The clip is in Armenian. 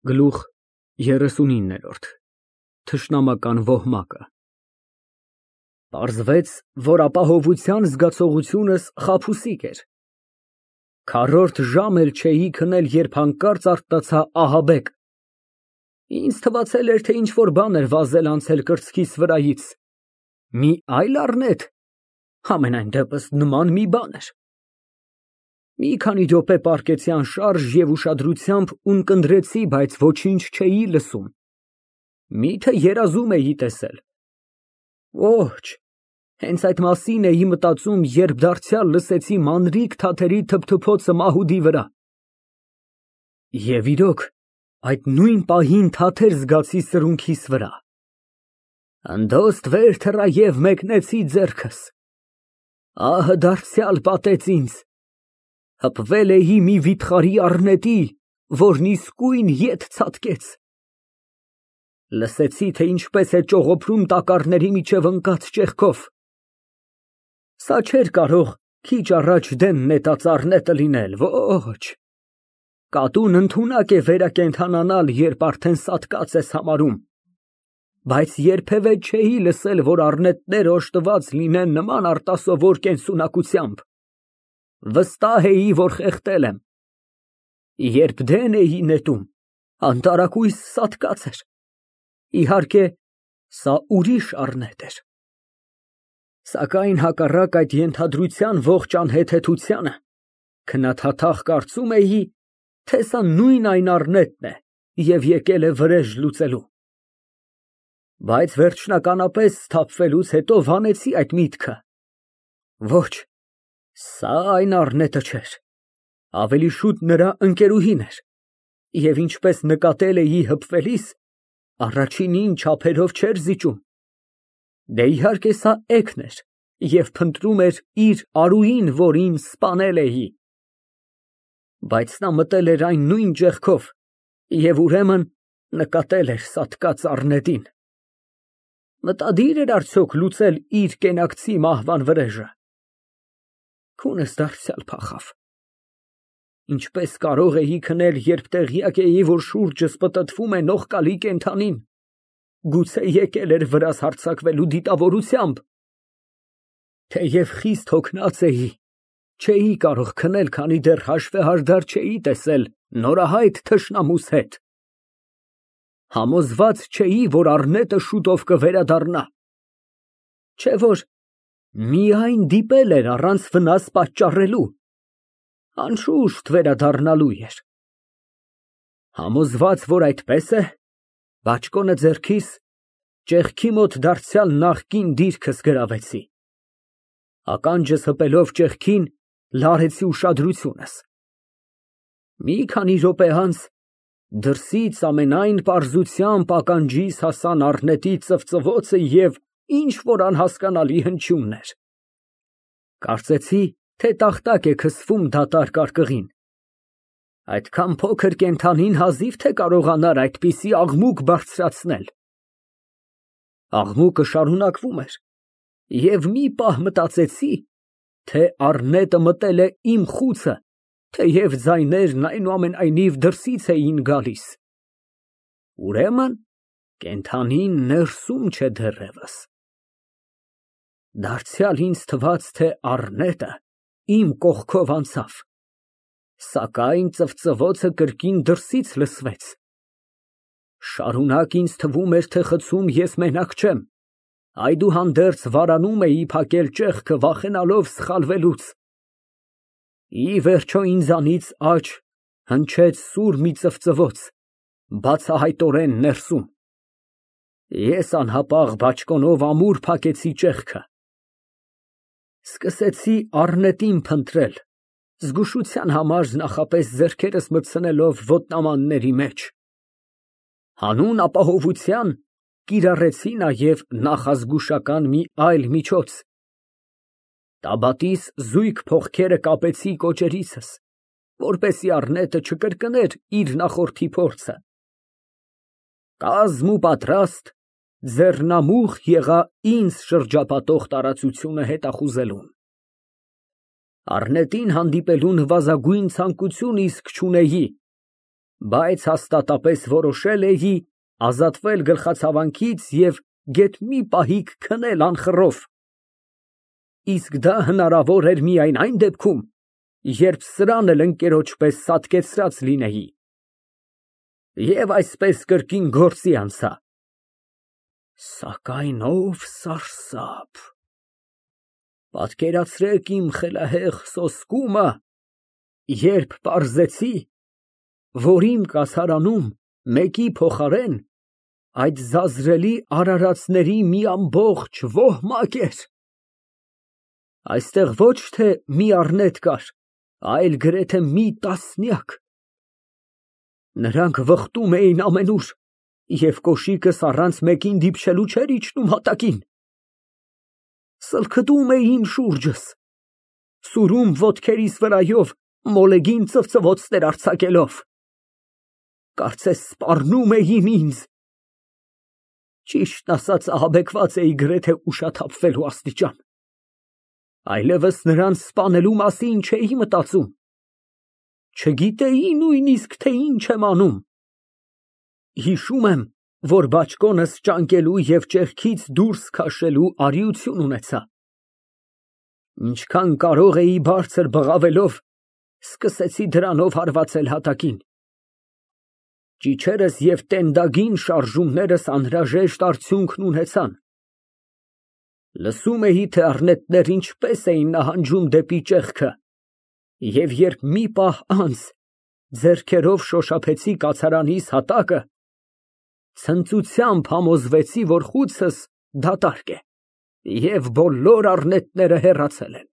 Գլուխ 39 Թշնամական ոհմակը Պարզվեց, որ ապահովության զգացողությունս խաբուսիկ էր։ Քառորդ ժամ էլ չէի քնել, երբ հանկարծ արթնացա ահաբեկ։ Ինձ թվացել էր, թե ինչ֊որ բան էր վազել անցել կրծքիս վրայից։ Մի այլ առնետ, համենայն դեպս նման մի բան էր։ Մի քանի րոպե պառկեցի անշարժ և ուշադրությամբ ունկնդրեցի, բայց ոչինչ չէի լսում։ Միթե երազում էի տեսել։ Ոչ, հենց այդ մասին էի մտածում, երբ դարձյալ լսեցի մանրիկ թաթերի թփթփոցը մահուդի վրա։ Եվ իրոք, այդ նույն պահին թաթեր զգացի սրունքիս վրա։ Անդոստ վեր թռա և մեկնեցի ձեռքս։ Ահը դարձյալ պատեց ինձ։ Հպվել էի մի վիթխարի առնետի, որն իսկույն ետ ցատկեց։ Լսեցի, թե ինչպես է ճողոփրում տակառների միջև ընկած ճեղքով։ Սա չէր կարող քիչ առաջ դեն նետած առնետը լինել, ոչ։ Կատուն ընդունակ է վերակենդանանալ, երբ արդեն սատկած ես համարում, բայց երբևէ չէի լսել, որ առնետները օժտված լինեն նման արտասովոր կենսունակությամբ։ Վստահ էի, որ խեղդել եմ։ Երբ դեն էի նետում, անտարակույս սատկած էր։ Իհարկե, սա ուրիշ առնետ էր։ Սակայն հակառակ այդ ենթադրության ողջ անհեթեթությանը, քննադատախ կարծում էի, թե սա նույն այն առնետն է և եկել է վրեժ լուծելու։ Բայց վերջնականապես սթափվելուց հետո վանեցի այդ միտքը։ Ոչ, սա այն առնետը չէր, ավելի շուտ նրա ընկերուհին էր, և ինչպես նկատել էի հպվելիս, առաջինին չափերով չէր զիջում։ Դե իհարկե սա էգն էր և փնտրում էր իր արուին, որին սպանել էի։ Բայց նա մտել էր այն նույն ճեղքով և ուրեմն նկատել էր սատկած առնետին։ Մտադիր էր արդյոք լուծել իր կենակցի մահվան վրեժը։ Քունս դարձյալ փախավ։ Ինչպես կարող էի քնել, երբ տեղյակ էի, որ շուրջս պտտվում է նողկալի կենդանին։ Գուցե եկել էր վրաս հարձակվելու դիտավորությամբ։ Թեև խիստ հոգնած էի, չէի կարող քնել, քանի դեռ հաշվեհարդար չէի տեսել նորահայտ թշնամուս հետ։ Համոզված չէի, որ առնետը շուտով կվերադառնա։ Չէ որ միայն դիպել էր առանց վնաս պատճառելու, անշուշտ վերադառնալու էր։ Համոզված, որ այդպես է, բաճկոնը ձեռքիս, ճեղքի մոտ դարձյալ նախկին դիրքս գրավեցի։ Ականջս հպելով ճեղքին, լարեցի ուշադրությունս։ Մի քանի րոպե անց դրսից ամենայն պարզությամբ ականջիս հասան առնետի ծվծվոցը և ինչ֊որ անհասկանալի հնչյուններ։ Կարծեցի, թե տախտակ է քսվում դատարկ արկղին։ Այդքան փոքր կենդանին հազիվ թե կարողանար այդպիսի աղմուկ բարձրացնել։ Աղմուկը շարունակվում էր, և մի պահ մտածեցի, թե առնետը մտել է իմ խուցը, թեև ձայներն այնուամենայնիվ դրսից էին գալիս։ Ուրեմն կենդանին ներսում չէ դեռևս։ Դարձյալ ինձ թվաց, թե առնետը իմ կողքով անցավ, սակայն ծվծվոցը կրկին դրսից լսվեց։ Շարունակ ինձ թվում էր, թե խցում ես մենակ չեմ, այդուհանդերձ վարանում էի փակել ճեղքը, վախենալով սխալվելուց։ Ի վերջո ինձանից աջ հնչեց սուր մի ծվծվոց, բացահայտորեն ներսում։ Ես անհապաղ բաճկոնով ամուր փակեցի ճեղքը։ Սկսեցի առնետին փնտրել, զգուշության համար նախապես ձեռքերս մտցնելով ոտնամանների մեջ։ Հանուն ապահովության կիրառեցի նաև նախազգուշական մի այլ միջոց։ Տաբատիս զույգ փողքերը կապեցի կոճերիցս, որպեսզի առնետը չկրկներ իր նախորդի փորձը։ Կազմ ու պատրաստ, ձեռնամուխ եղա ինձ շրջապատող տարածությունը հետախուզելուն։ Առնետին հանդիպելու նվազագույն ցանկություն իսկ չունեի, Բայց հաստատապես որոշել էի ազատվել գլխացավանքից և գեթ մի պահիկ քնել անխռով։ Իսկ դա հնարավոր էր միայն այն դեպքում, երբ սրան էլ ընկերոջ պես սատկեցրած լինեի։ Եվ այսպես կրկին գործի անցա։ Սակայն ով սարսափ, պատկերացրեք իմ խելահեղ սոսկումը, երբ պարզեցի, որ իմ կացարանում մեկի փոխարեն այդ զազրելի արարածների մի ամբողջ ոհմակ էր։ Այստեղ ոչ թե մի առնետ կար, այլ գրեթե մի տասնյակ։ Նրանք վխտում էին ամենուր, և կոշիկս առանց մեկին դիպչելու չէր իջնում հատակին։ Սլքդում էին շուրջս, սուրում ոտքերիս վրայով մոլեգին ծվծվոցներ արձակելով, կարծես սպառնում էին ինձ։ Ճիշտն ասած, ահաբեկված էի գրեթե ուշաթափվելու աստիճան, այլևս նրանց սպանելու մասին չէի մտածում, չգիտեի նույնիսկ, թե ինչ եմ անում։ Հիշում եմ, որ բաճկոնս ճանկելու և ճեղքից դուրս քաշելու արիություն ունեցա։ Ինչքան կարող էի բարձր բղավելով, սկսեցի դրանով հարվածել հատակին։ Ճիչերս և տենդագին շարժումներս անհրաժեշտ արդյունքն ունեցան։ Լսում էի, թե առնետներն ինչպես էին նահանջում դեպի ճեղքը, և երբ մի պահ անց ձեռքերով շոշափեցի կացարանիս հատակը, ցնծությամբ համոզվեցի, որ խուցս դատարկ է, և բոլոր առնետները հեռացել են։